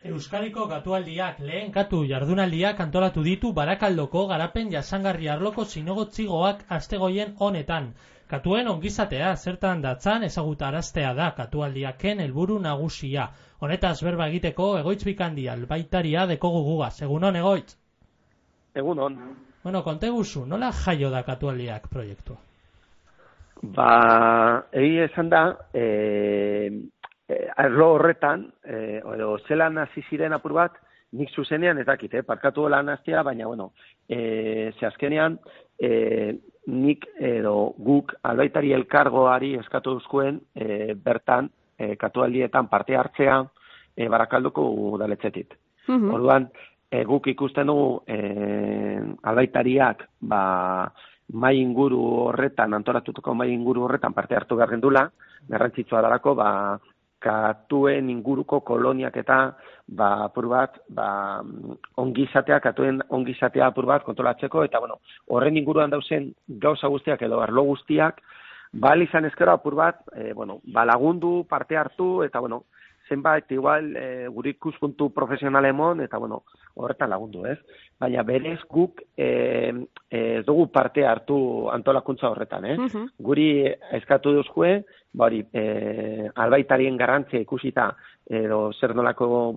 Euskadiko katualdiak lehen katu jardunaldiak antolatu ditu Barakaldoko garapen jasangarri arloko zinegotzigoak astegoien honetan. Katuen ongizatea zertan datzan ezagutaraztea da katualdiaken helburu nagusia. Honetaz berba egiteko Egoitz Bikandi albaitaria dekogu gugaz. Egunon, Egoitz? Egunon. Bueno, konteguzu, nola jaio da katualdiak proiektua? Egia esan da, arlo horretan, edo zelan hasi ziren apur bat, nik zuzenean ez dakit, parkatu lan hastea, baina, bueno, ze azkenean, nik edo guk albaitari elkargoari eskatu duzkuen bertan, katualdietan parte hartzea Barakaldoko udaletxetik. Orduan, guk ikusten dugu albaitariak, mai inguru horretan, antolatutako mai inguru horretan parte hartu behar gendula, garrantzitsua dalako, katuen inguruko koloniak eta apur bat, ongizatea, katuen ongizatea apur bat kontrolatzeko, eta bueno, horren inguruan dauzen gauza guztiak edo arlo guztiak, izan ezkero apur bat, lagundu, parte hartu, eta bueno, zenbait igual gure ikuspuntu profesionalemon, eta bueno, horretan lagundu, ez? Baina berez guk ez dugu parte hartu antolakuntza horretan, Guri eskatu duzkue, albaitarien garrantzia ikusita, edo zer nolako,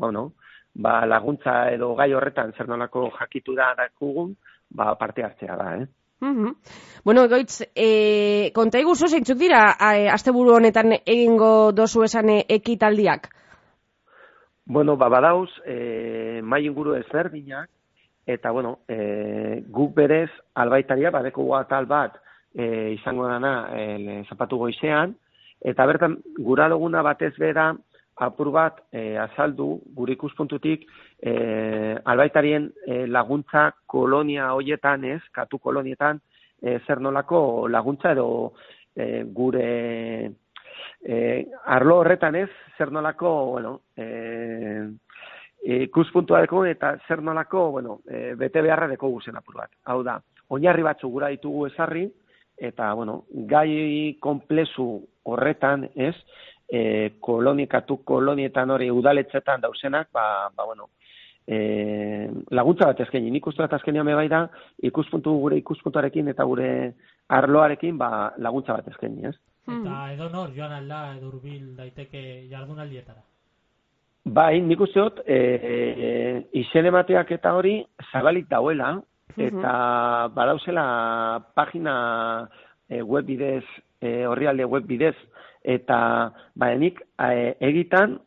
laguntza edo gai horretan zer nolako jakitu da dakugun, parte hartzea da, Bueno, Egoitz, konta iguzu zeintzuk dira asteburu honetan egingo dozu esan ekitaldiak? Bueno, badauz, mai inguru ezberdinak, eta, guk berez albaitaria, badeko atal bat izango dana zapatu goizean, eta bertan, gura duguna batez bera, apur bat azaldu, gure ikuspuntutik, albaitarien laguntza kolonia hoietan katu kolonietan, zer nolako laguntza edo gure arlo horretan zer nolako, ikuspuntua deko eta zer nolako, bete beharra deko guzen apur bat. Hau da, oinarri batzu gura ditugu ezarri, eta, gai konplezu horretan, katu kolonietan hori udaletzetan dauzenak, laguntza bat eskaini. Nik uste bat azkenean bai da, gure ikuspuntuarekin eta gure arloarekin laguntza bat eskaini, Eta edo nor, joan alda, edo hurbil daiteke jardunaldietara? Bai, nik uste dut, izen emateak eta hori zabalik dauela, eta badauzela pagina web bidez, orrialde web bidez, eta nik egitan,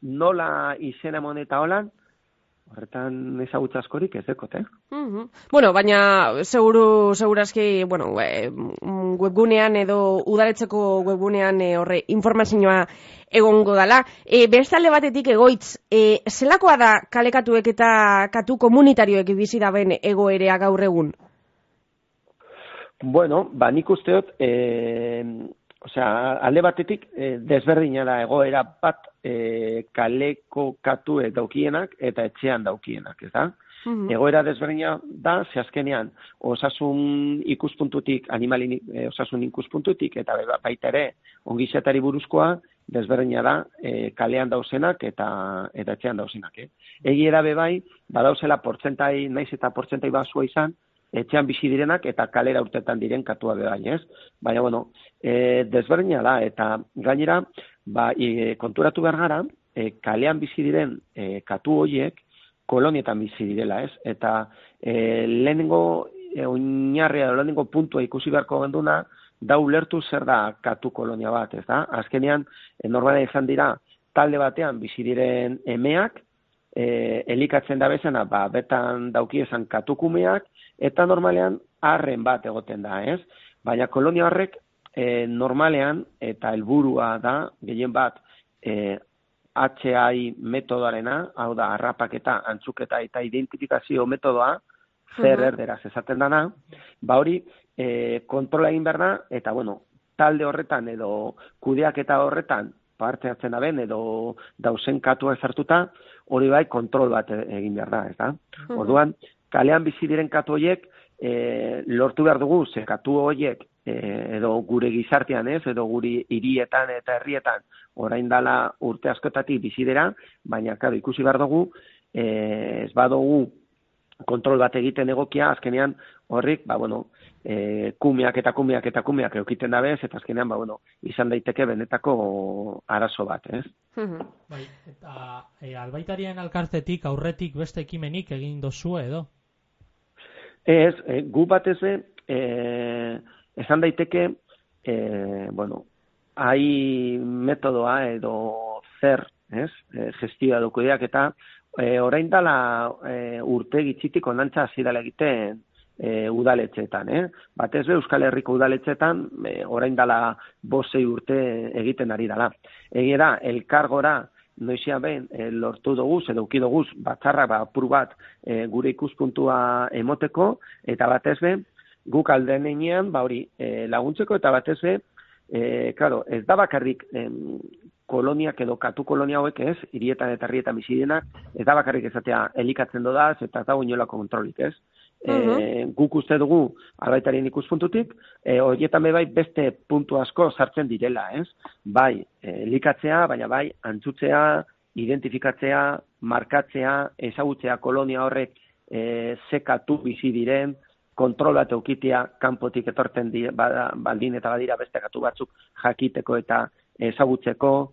nola izen emon eta holan, horretan ezagutza askorik ez dekot, Bueno, baina segurazki, webgunean edo udaletzeko webgunean horre informazioa egongo dala. Bestalde batetik, Egoitz, zelakoa da kalekatuek eta katu komunitarioek bizi daben egoerea gaur egun? Bueno, nik uste dut, alde batetik desberdina da egoera bat kaleko katue daukienak eta etxean daukienak, ez da? Egoera desberdina da, ze azkenean osasun ikuspuntutik, osasun ikuspuntutik eta baita ere ongizatari buruzkoa desberdina da kalean dauzenak eta etxean dauzenak. Egi erabe bai, badauzela portzentai, naiz eta portzentai basua izan, etxean bizi direnak eta kalera urtetan diren katua bebai, ez? Baina, desberdina da, eta gainera, konturatu behar gara, kalean bizi diren katu horiek kolonietan bizi direla, ez? Eta lehenengo oinarria, lehenengo puntua ikusi beharko genduna, da ulertu zer da katu kolonia bat, ez da? Azkenean, normalean izan dira, talde batean bizi diren emeak, elikatzen da bezana, betan daukiezan katukumeak, eta normalean arren bat egoten da, ez? Baina kolonia horrek normalean, eta helburua da, gehien bat, HI metodoarena, hau da, harrapaketa, antzuketa eta identifikazio metodoa, zer erderaz esaten dana, hori kontrola egin behar da, eta talde horretan edo kudeaketa horretan parte hartzen da ben, edo dauzen katua ezartuta, hori bai kontrol bat egin behar da, ez da? Orduan, kalean bizi diren katu horiek lortu behar dugu, ze katu horiek edo gure gizartean ez, edo guri hirietan eta herrietan orain dala urte askotatik bizidera, baina claro, ikusi behar dugu, ez badugu kontrol bat egiten egokia, azkenean horrik, kumeak eukiten dabez, eta azkenean, izan daiteke benetako arazo bat, ez? Bai, eta albaitarien elkartetik aurretik beste ekimenik egin dozu edo? Ez, gu batez esan daiteke, hai metodoa edo zer, ez? Gestioa dokudeak eta orain dala urte gitzitik onantza hasi dela egiten udaletxetan, Batez be Euskal Herriko udaletxetan orain dala 5-6 urte egiten ari dala. Egia da, elkargora noizia behin lortu doguz, edo uki doguz, batzarra apur bat gure ikuspuntua emoteko, eta batez be, guk alden einean, laguntzeko, eta batez be, claro, ez da bakarrik koloniak edo katu kolonia hauek ez, hirietan eta herrietan bizidenak, ez da bakarrik ezatea elikatzen dodaz, eta ez dago inolako kontrolik, ez? Guk uste dugu albaitarien ikuspuntutik, horietan bai beste puntu asko sartzen direla, ez? Bai, elikatzea, baina bai, antzutzea, identifikatzea, markatzea, ezagutzea kolonia horrek sekatu bizi diren, kontrol bat eukitea kanpotik etorten baldin eta badira beste katu batzuk jakiteko eta ezagutzeko,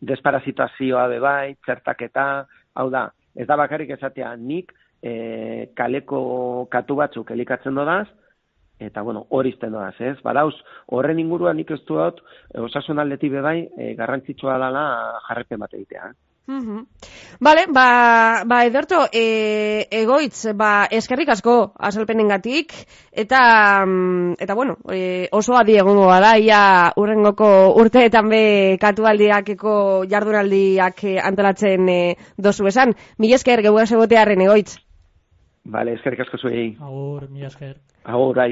desparazitazioa bai, txertaketa, hau da, ez da bakarrik esatea nik kaleko katu batzuk elikatzen dodaz, eta hori izten dodaz, ez? Badauz, horren inguruan nik ez dut, osasun aldetik bai, garrantzitsua dela jarrepen bat egitea. Vale, Ederto, Egoitz, eskerrik asko azalpenengatik, eta oso adi egongo gara, ia urrengoko urteetan be katualdiakeko jardunaldiak antolatzen dozu esan. Mila esker, geuaz egotearen, Egoitz. Vale, eskerrik asko zuei. Agur, mila esker. Agur, bai.